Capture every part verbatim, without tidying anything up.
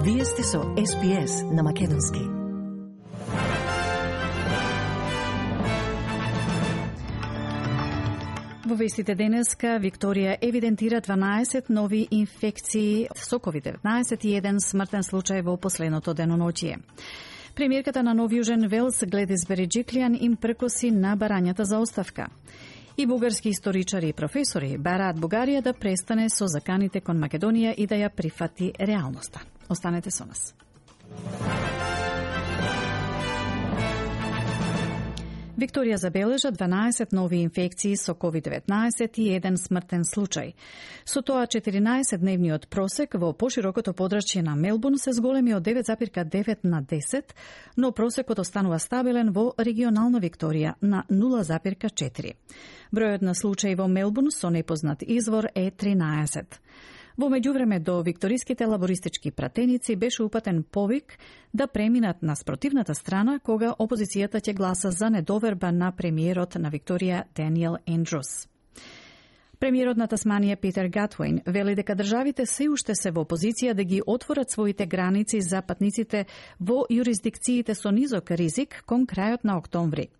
Вие сте со Ес Би Ес на Македонски. Во вестите денеска, Викторија евидентира дванаесет нови инфекции со ковид деветнаесет и еден смртен случај во последното деноноќие. Премиерката на Нов Јужен Велс, Гледис Береджиклијан, им прекоси на барањата за оставка. И бугарски историчари и професори бараат Бугарија да престане со заканите кон Македонија и да ја прифати реалноста. Останете со нас. Викторија забележа дванаесет нови инфекции со ковид деветнаесет и еден смртен случај. Со тоа четиринаесетдневниот просек во поширокото подрачје на Мелбурн се зголеми од девет запирка девет на десет, но просекот останува стабилен во регионална Викторија на нула запирка четири. Бројот на случаи во Мелбурн со непознат извор е тринаесет. Во меѓувреме до викториските лабористички пратеници беше упатен повик да преминат на спротивната страна кога опозицијата ќе гласа за недоверба на премиерот на Викторија Даниел Ендрус. Премиерот на Тасманија Питер Гатвейн вели дека државите се уште се во позиција да ги отворат своите граници за патниците во јурисдикциите со низок ризик кон крајот на октомври.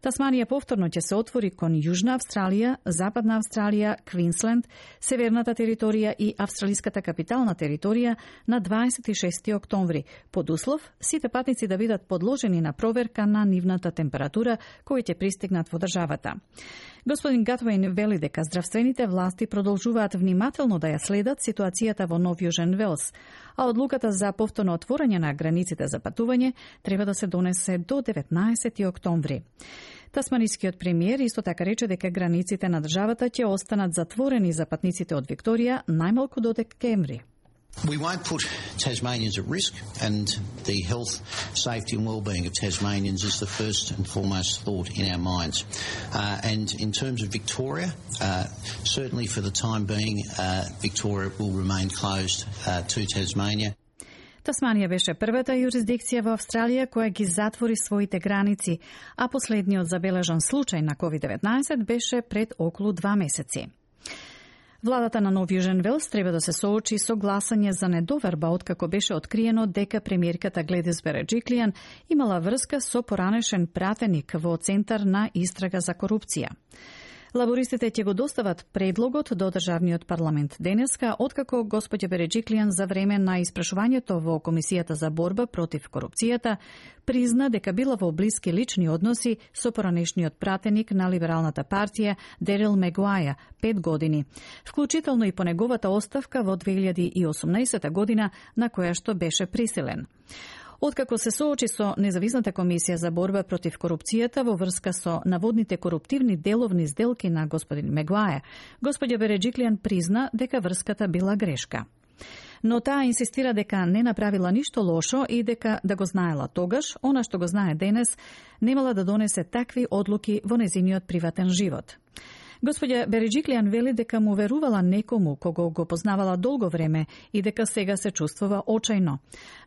Тасманија повторно ќе се отвори кон Јужна Австралија, Западна Австралија, Квинсленд, Северната територија и Австралиската капитална територија на дваесет и шести октомври, под услов сите патници да бидат подложени на проверка на нивната температура кои ќе пристигнат во државата. Господин Гатвейн вели дека здравствените власти продолжуваат внимателно да ја следат ситуацијата во Нов Јужен Велс, а одлуката за повторно отворање на границите за патување треба да се донесе до деветнаесети октомври. Тасманискиот премиер исто така рече дека границите на државата ќе останат затворени за патниците од Викторија најмалку до декември. We won't put Tasmanians at risk, and the health, safety and well-being of Tasmanians is the first and foremost thought in our minds. Uh, and in terms of Victoria, uh, certainly for the time being, uh, Victoria will remain closed uh, to Tasmania. Тасманија беше првата јурисдикција во Австралија која ги затвори своите граници, а последниот забележан случај на ковид деветнаесет беше пред околу два месеци. Владата на Нов Јужен Велс треба да се соочи со гласање за недоверба откако беше откриено дека премиерката Гледис Береджиклијан имала врска со поранешен пратеник во Центар на истрага за корупција. Лабористите ќе го достават предлогот до државниот парламент денеска, откако господја Береджиклијан за време на испрашувањето во Комисијата за борба против корупцијата призна дека била во блиски лични односи со поранешниот пратеник на Либералната партија Дерил Мегуаја пет години, вклучително и по неговата оставка во две илјади и осумнаесета година на која што беше присилен. Откако се соочи со Независната комисија за борба против корупцијата во врска со наводните коруптивни деловни сделки на господин Мегуаја, господја Береджиклијан призна дека врската била грешка. Но таа инсистира дека не направила ништо лошо и дека да го знаела тогаш, она што го знае денес, немала да донесе такви одлуки во незиниот приватен живот. Господја Береджиклијан вели дека му верувала некому кого го познавала долго време и дека сега се чувствува очајно,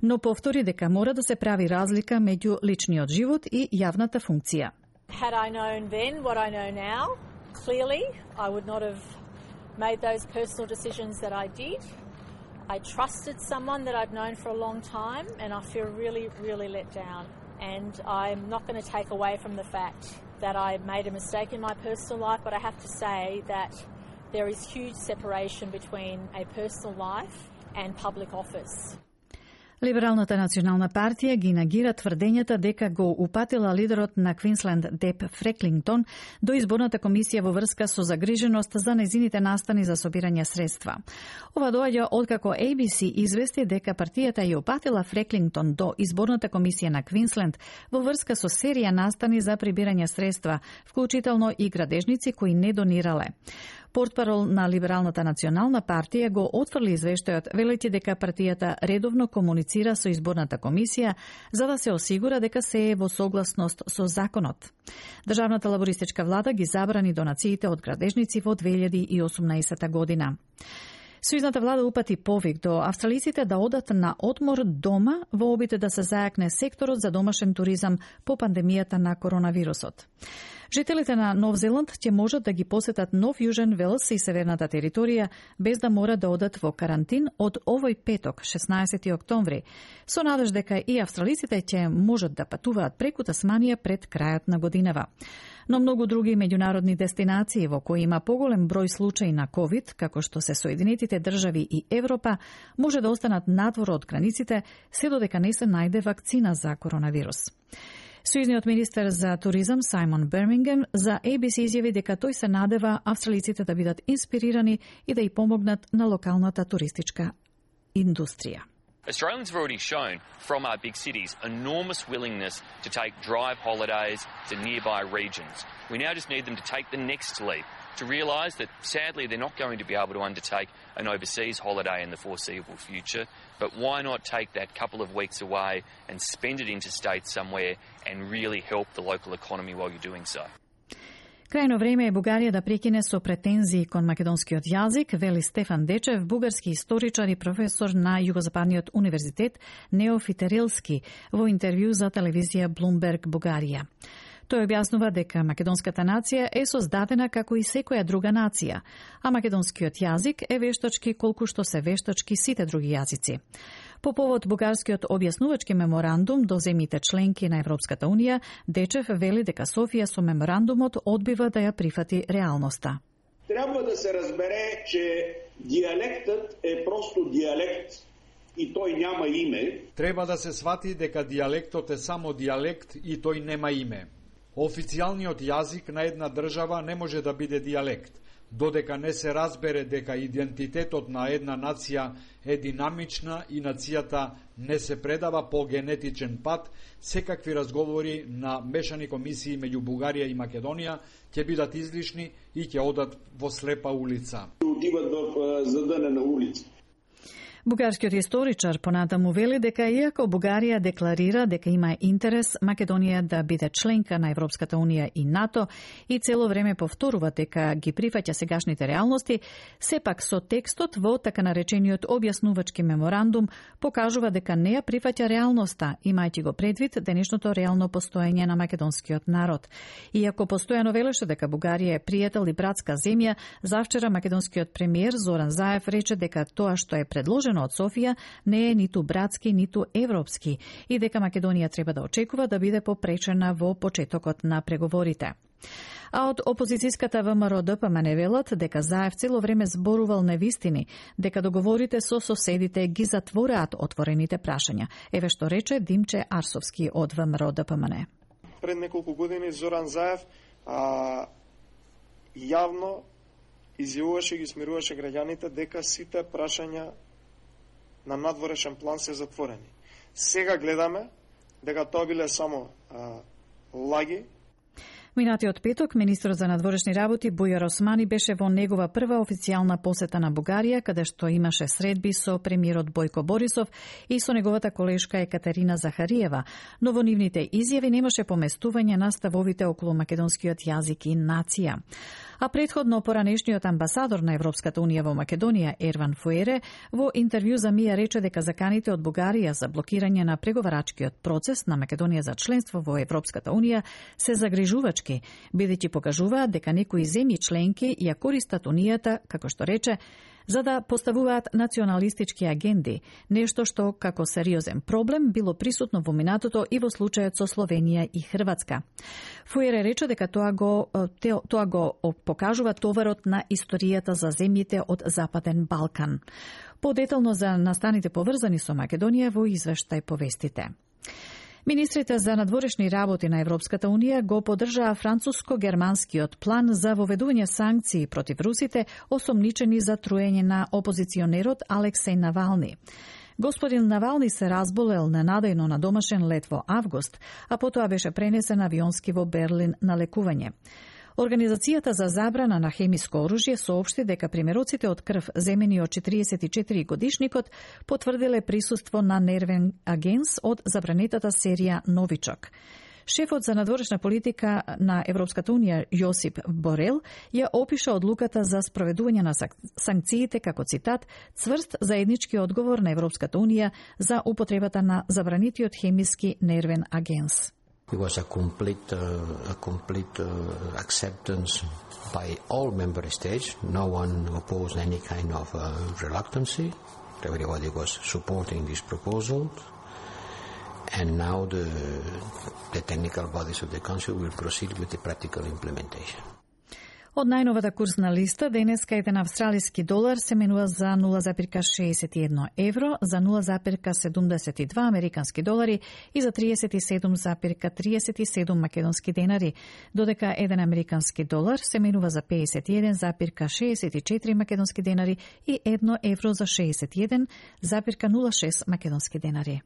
но повтори дека мора да се прави разлика меѓу личниот живот и јавната функција. Had I known then what I know now, clearly I would not have made those personal decisions that I did. I trusted someone that I'd known for a long time and I feel really, really let down. And I'm not going to take away from the fact that I made a mistake in my personal life, but I have to say that there is huge separation between a personal life and public office. Либералната национална партија ги нагира тврдењата дека го упатила лидерот на Квинсленд Деп Фреклингтон до изборната комисија во врска со загриженост за незините настани за собирање средства. Ова доаѓа откако А Би Си извести дека партијата ја упатила Фреклингтон до изборната комисија на Квинсленд во врска со серија настани за прибирање средства, вклучително и градежници кои не донирале. Портпарол на Либералната национална партија го отфрли извештајот, велејќи дека партијата редовно комуницира со изборната комисија за да се осигура дека се е во согласност со законот. Државната лабористичка влада ги забрани донациите од градежници во две илјади и осумнаесета година. Сојузната влада упати повик до австралиците да одат на одмор дома во обид да се зајакне секторот за домашен туризам по пандемијата на коронавирусот. Жителите на Нов Зеланд ќе можат да ги посетат Нов Јужен Велс и северната територија без да мора да одат во карантин од овој петок, шеснаесети октомври, со надеж дека и австралиците ќе можат да патуваат преку Тасманија пред крајот на годинава. Но многу други меѓународни дестинации во кои има поголем број случаи на ковид, како што се Соединетите држави и Европа, може да останат надвор од границите, се додека не се најде вакцина за коронавирус. Сојузниот министер за туризам Саймон Бермингем за A B C изјави дека тој се надева австралиците да бидат инспирирани и да ја помогнат на локалната туристичка индустрија. Australians have already shown from our big cities enormous willingness to take drive holidays to nearby regions. We now just need them to take the next leap, to realise that sadly they're not going to be able to undertake an overseas holiday in the foreseeable future, but why not take that couple of weeks away and spend it interstate somewhere and really help the local economy while you're doing so. Крајно време е Бугарија да прекине со претензии кон македонскиот јазик, вели Стефан Дечев, бугарски историчар и професор на Југозападниот универзитет Неофитерилски, во интервју за телевизија Bloomberg Бугарија. Тој објаснува дека македонската нација е создадена како и секоја друга нација, а македонскиот јазик е вештачки колку што се вештачки сите други јазици. По повод бугарскиот објаснувачки меморандум до земјите членки на Европската унија, Дечев вели дека Софија со меморандумот одбива да ја прифати реалноста. Треба да се разбере, че диалектот е просто диалект и тој нема име. Треба да се свати дека диалектот е само диалект и тој нема име. Официјалниот јазик на една држава не може да биде диалект, додека не се разбере дека идентитетот на една нација е динамична и нацијата не се предава по генетичен пат, секакви разговори на мешани комисии меѓу Бугарија и Македонија ќе бидат излишни и ќе одат во слепа улица. Отиват во зададена улица. Бугарскиот историчар понатаму вели дека иако Бугарија декларира дека има интерес Македонија да биде членка на Европската унија и НАТО и цело време повторува дека ги прифаќа сегашните реалности, сепак со текстот во така наречениот објаснувачки меморандум покажува дека не ја прифаќа реалноста, имајќи го предвид денешното реално постоење на македонскиот народ. Иако постојано велеше дека Бугарија е пријател и братска земја, завчера македонскиот премиер Зоран Заев рече дека тоа што е предложено од Софија не е ниту братски, ниту европски и дека Македонија треба да очекува да биде попречена во почетокот на преговорите. А од опозицијската ВМРО Д П М Н велат дека Заев цело време зборувал невистини, дека договорите со соседите ги затвораат отворените прашања. Еве што рече Димче Арсовски од ВМРО Д П М Н. Пред неколку години Зоран Заев а, јавно изјавуваше и ги смируваше граѓаните дека сите прашања на надворешен план се затворени. Сега гледаме дека тоа биле само а, лаги. Минатиот петок, министрот за надворешни работи Бујар Османи беше во негова прва официјална посета на Бугарија, каде што имаше средби со премиерот Бојко Борисов и со неговата колешка Екатерина Захариева, но во нивните изјави немаше поместување на ставовите околу македонскиот јазик и нација. А предходно поранешниот амбасадор на Европската унија во Македонија, Ерван Фуере, во интервју за Мија рече дека заканите од Бугарија за блокирање на преговарачкиот процес на Македонија за членство во Европската унија се загрижувачки, бидејќи покажуваат дека некои земји членки ја користат унијата, како што рече, за да поставуваат националистички агенди, нешто што како сериозен проблем било присутно во минатото и во случајот со Словенија и Хрватска. Фуере рече дека тоа го тоа го покажува товарот на историјата за земјите од Западен Балкан. Подетално за настаните поврзани со Македонија во извештај повестите. Министрите за надворешни работи на Европската унија го поддржаа француско-германскиот план за воведување санкции против русите осомничени за труење на опозиционерот Алексеј Навални. Господин Навални се разболел ненадејно на домашен лет во август, а потоа беше пренесен авионски во Берлин на лекување. Организацијата за забрана на хемиско оружје соопшти дека примероците од крв земени од четириесет и четири годишникот потврдиле присуство на нервен агенс од забранетата серија Новичок. Шефот за надворешна политика на Европската унија Јосип Борел ја опиша одлуката за спроведување на санкциите како цитат цврст заеднички одговор на Европската унија за употребата на забранетиот хемиски нервен агенс. It was a complete, uh, a complete uh, acceptance by all member states. No one opposed any kind of uh, reluctancy. Everybody was supporting this proposal. And now the, the technical bodies of the Council will proceed with the practical implementation. Од најновата курсна листа, денеска еден австралиски долар се менува за нула запирка шеесет и едно евро, за нула запирка седумдесет и два американски долари и за триесет и седум запирка триесет и седум македонски денари, додека еден американски долар се менува за пеесет и еден запирка шеесет и четири македонски денари и едно евро за шеесет и еден запирка нула шест македонски денари.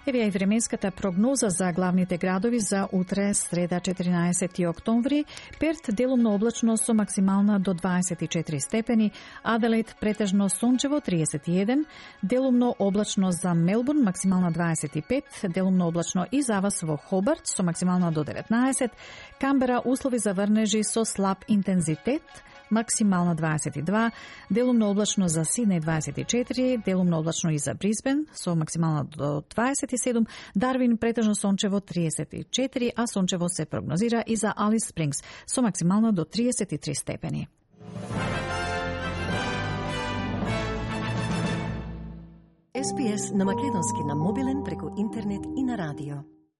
Еве ја и временската прогноза за главните градови за утре, среда четиринаесети октомври. Перт делумно облачно со максимална до дваесет и четири степени, Аделаид претежно сончево триесет и еден, делумно облачно за Мелбурн максимална дваесет и пет, делумно облачно и за вас во Хобарт со максимална до деветнаесет, Камбера услови за врнежи со слаб интензитет, максимална дваесет и два, делумно облачно за Сиднеј дваесет и четири, делумно облачно и за Брисбен со максимална до дваесет и седум, Дарвин претежно сончево триесет и четири, а сончево се прогнозира и за Алис Спрингс со максимална до триесет и три степени. Ес Би Ес на македонски на мобилен преку интернет и на радио.